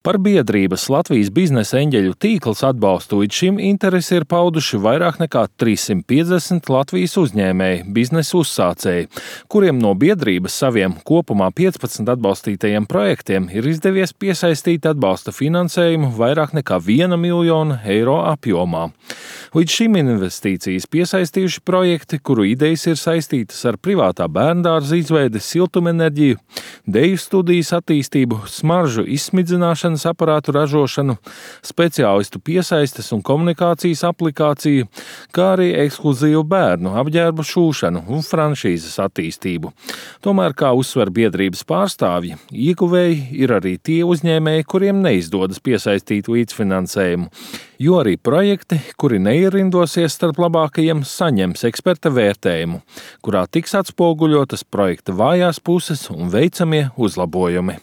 Par biedrības Latvijas biznesa eņģeļu tīkls atbalstu līdz šim interesi ir pauduši vairāk nekā 350 Latvijas uzņēmēji, biznesa uzsācēji, kuriem no biedrības saviem kopumā 15 atbalstītajiem projektiem ir izdevies piesaistīt atbalsta finansējumu vairāk nekā 1 miljonu eiro apjomā. Līdz šim investīcijas piesaistījuši projekti, kuru idejas ir saistītas ar privātā bērndārza izveidi, siltumenerģiju, deju studijas attīstību, smaržu izsmidzināšanu, aparātu ražošanu, speciālistu piesaistes un komunikācijas aplikāciju, kā arī ekskluzīvu bērnu apģērbu šūšanu un franšīzes attīstību. Tomēr, kā uzsver biedrības pārstāvji, ieguvēji ir arī tie uzņēmēji, kuriem neizdodas piesaistīt līdzfinansējumu, jo arī projekti, kuri neierindosies starp labākajiem, saņems eksperta vērtējumu, kurā tiks atspoguļotas projekta vājās puses un veicamie uzlabojumi.